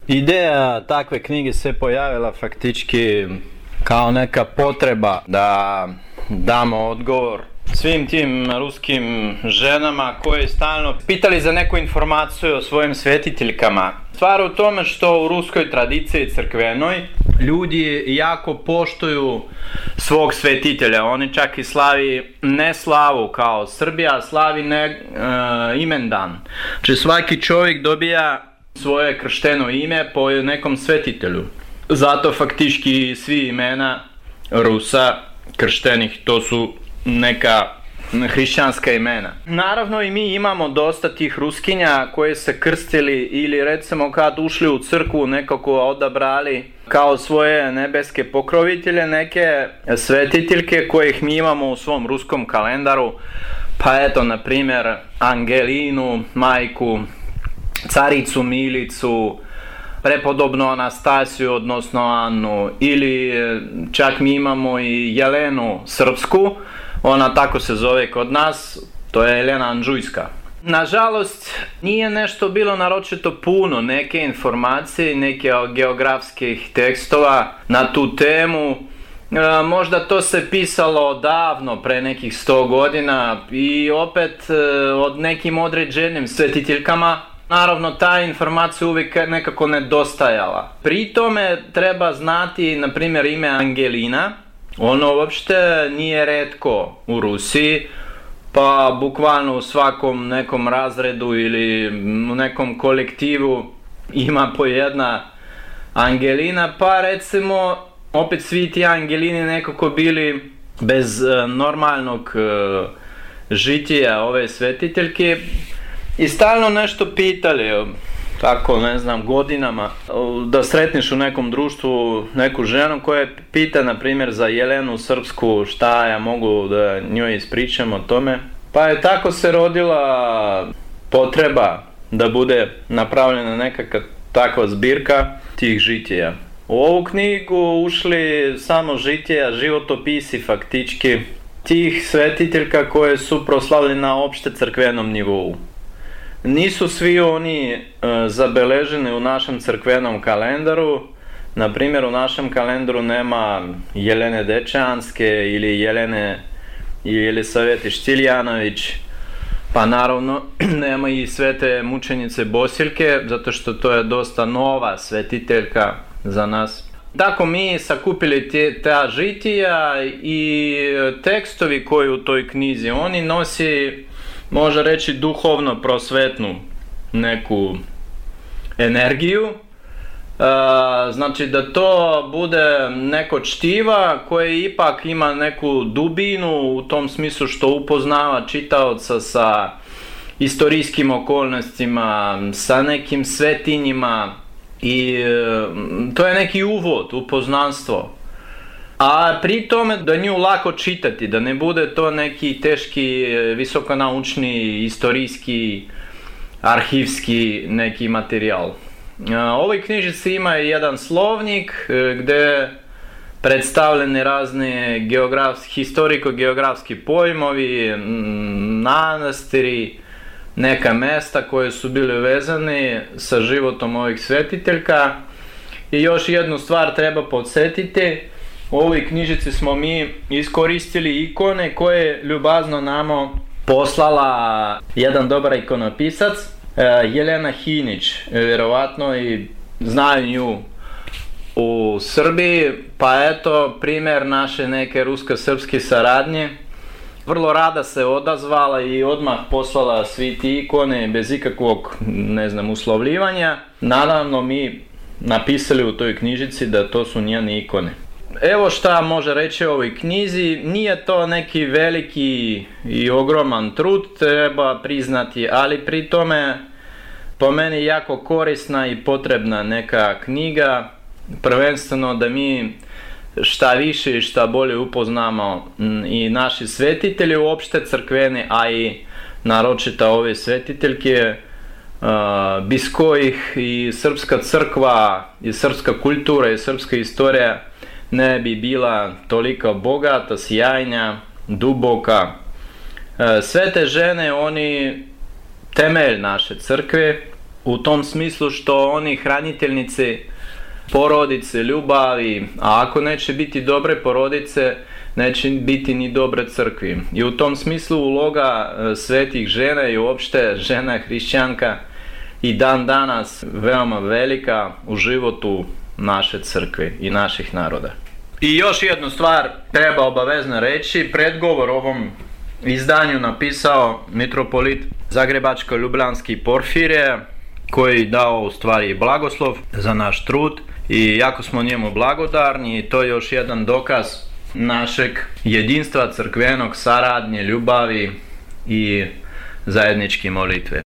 Ideja takve knjige se pojavila faktički kao neka potreba da damo odgovor svim tim ruskim ženama koje stalno pitali za neku informaciju o svojim svetiteljkama. Stvar u tome što u ruskoj tradiciji crkvenoj ljudi jako poštuju svog svetitelja. Oni čak i slavi ne slavu kao Srbija, slavi imendan. Znači svaki čovjek dobija svoje kršteno ime po nekom svetitelju. Zato faktički svi imena Rusa krštenih to su neka hrišćanska imena. Naravno i mi imamo dosta tih Ruskinja koji se krstili ili recimo kad ušli u crkvu nekako odabrali kao svoje nebeske pokrovitelje neke svetiteljke kojih mi imamo u svom ruskom kalendaru. Pa eto, na primjer, Angelinu, majku, caricu Milicu, prepodobnu Anastasiju, odnosno Annu, ili čak mi imamo i Jelenu Srpsku, ona tako se zove kod nas, to je Jelena Anđujska. Nažalost, nije nešto bilo naročito puno, neke informacije, neke geografskih tekstova na tu temu. Možda to se pisalo davno, pre nekih 100 godina i opet od nekim određenim svetiteljkama. Naravno, ta informacija uvijek nekako nedostajala. Pri tome treba znati, na primjer, ime Angelina. Ono uopšte nije retko u Rusiji, pa bukvalno u svakom nekom razredu ili u nekom kolektivu ima po jedna Angelina, pa recimo opet svi ti Angelini nekako bili bez normalnog žitija ove svetiteljke i stalno nešto pitali, tako ne znam, godinama, da sretniš u nekom društvu neku ženu koja pita na primjer za Jelenu Srpsku šta ja mogu da njoj ispričam o tome. Pa je tako se rodila potreba da bude napravljena nekakva takva zbirka tih žitija. U ovu knjigu ušli samo žitija, životopisi faktički tih svetiteljka koje su proslavljeni na opšte crkvenom nivou. Nisu svi oni zabeleženi u našem crkvenom kalendaru. Na primjer, u našem kalendaru nema Jelene Dečanske ili Jelene Jelisavete Štiljanović, pa naravno nema i svete mučenice Bosiljke, zato što to je dosta nova svetiteljka za nas. Tako mi sakupili ta žitija i tekstovi koji u toj knjizi oni nosi, može reći, duhovno prosvetnu neku energiju. Znači da to bude neko čtiva koje ipak ima neku dubinu u tom smislu što upoznava čitaoca sa istorijskim okolnostima, sa nekim svetinjima i to je neki uvod u poznanstvo. A pri tome da nju lako čitati, da ne bude to neki teški, visokonaučni, istorijski, arhivski neki materijal. Ovoj knjižici ima jedan slovnik gdje predstavljeni razni historiko-geografski pojmovi, manastiri, neka mesta koje su bili vezani sa životom ovih svetiteljka. I još jednu stvar treba podsjetiti, u ovoj knjižici smo mi iskoristili ikone koje ljubazno nama poslala jedan dobar ikonopisac, Jelena Hinić, vjerovatno i znaju nju u Srbiji, pa eto primjer naše neke rusko-srpske saradnje. Vrlo rada se odazvala i odmah poslala svi ti ikone bez ikakvog, ne znam, uslovljivanja. Naravno mi napisali u toj knjižici da to su njene ikone. Evo šta može reći o ovoj knjizi, nije to neki veliki i ogroman trud, treba priznati, ali pri tome po meni jako korisna i potrebna neka knjiga, prvenstveno da mi šta više i šta bolje upoznamo i naši svetitelji uopšte crkveni, a i naročito ove svetiteljke, bez kojih i srpska crkva i srpska kultura i srpska istorija ne bi bila toliko bogata, sjajna, duboka. Sve te žene, oni temelj naše crkve u tom smislu što oni hraniteljnici porodice, ljubavi, a ako neće biti dobre porodice, neće biti ni dobre crkvi. I u tom smislu uloga svetih žena i uopšte žena hrišćanka i dan danas veoma velika u životu naše crkve i naših naroda. I još jednu stvar treba obavezno reći, predgovor ovom izdanju napisao mitropolit Zagrebačko-Ljubljanski Porfirije, koji dao u stvari blagoslov za naš trud i jako smo njemu blagodarni i to je još jedan dokaz našeg jedinstva crkvenog, saradnje, ljubavi i zajedničke molitve.